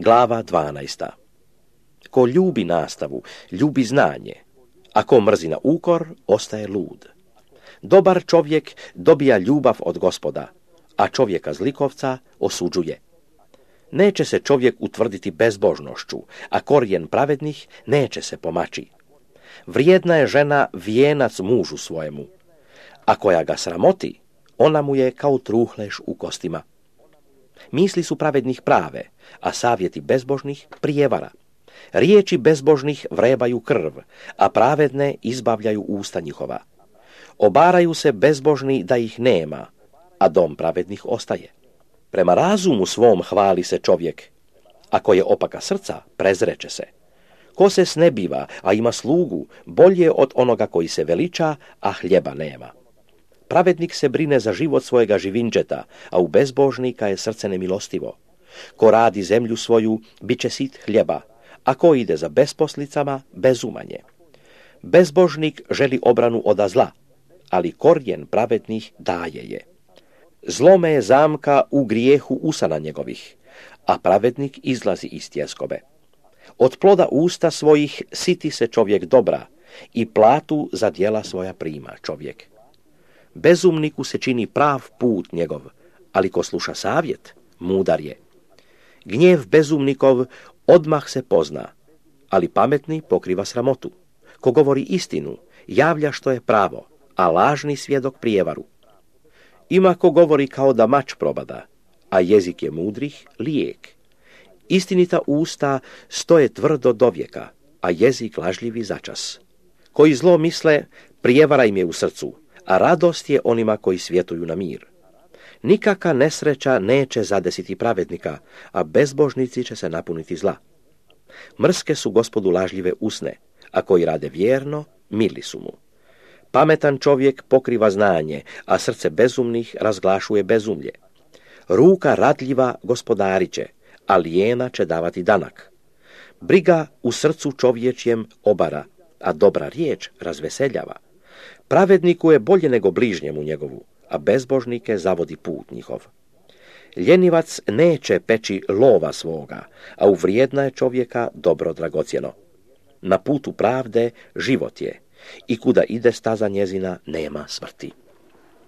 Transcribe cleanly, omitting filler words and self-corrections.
Glava 12. Ko ljubi nastavu, ljubi znanje, a ko mrzi na ukor, ostaje lud. Dobar čovjek dobija ljubav od Gospoda, a čovjeka zlikovca osuđuje. Neće se čovjek utvrditi bezbožnošću, a korijen pravednih neće se pomaći. Vrijedna je žena vijenac mužu svojemu, a koja ga sramoti, ona mu je kao truhleš u kostima. Misli su pravednih prave, a savjeti bezbožnih prijevara. Riječi bezbožnih vrebaju krv, a pravedne izbavljaju usta njihova. Obaraju se bezbožni da ih nema, a dom pravednih ostaje. Prema razumu svom hvali se čovjek, ako je opaka srca, prezreće se. Ko se snebiva, a ima slugu, bolje od onoga koji se veliča, a hljeba nema. Pravednik se brine za život svojega živinđeta, a u bezbožnika je srce nemilostivo. Ko radi zemlju svoju, bit će sit hljeba, a ko ide za besposlicama, bezumanje. Bezbožnik želi obranu od zla, ali korijen pravednih daje je. Zlome je zamka u grijehu usana njegovih, a pravednik izlazi iz tjeskobe. Od ploda usta svojih siti se čovjek dobra i platu za djela svoja prima čovjek. Bezumniku se čini prav put njegov, ali ko sluša savjet, mudar je. Gnjev bezumnikov odmah se pozna, ali pametni pokriva sramotu. Ko govori istinu, javlja što je pravo, a lažni svjedok prijevaru. Ima ko govori kao da mač probada, a jezik je mudrih lijek. Istinita usta stoje tvrdo do vijeka, a jezik lažljivi začas. Koji zlo misle, prijevara im je u srcu, a radost je onima koji svjetuju na mir. Nikaka nesreća neće zadesiti pravednika, a bezbožnici će se napuniti zla. Mrske su Gospodu lažljive usne, a koji rade vjerno, mili su mu. Pametan čovjek pokriva znanje, a srce bezumnih razglašuje bezumlje. Ruka radljiva gospodariće, a lijena će davati danak. Briga u srcu čovječjem obara, a dobra riječ razveseljava. Pravedniku je bolje nego bližnjemu njegovu, a bezbožnike zavodi put njihov. Ljenivac neće peći lova svoga, a u vrijedna je čovjeka dobro dragocjeno. Na putu pravde život je, i kuda ide staza njezina nema smrti.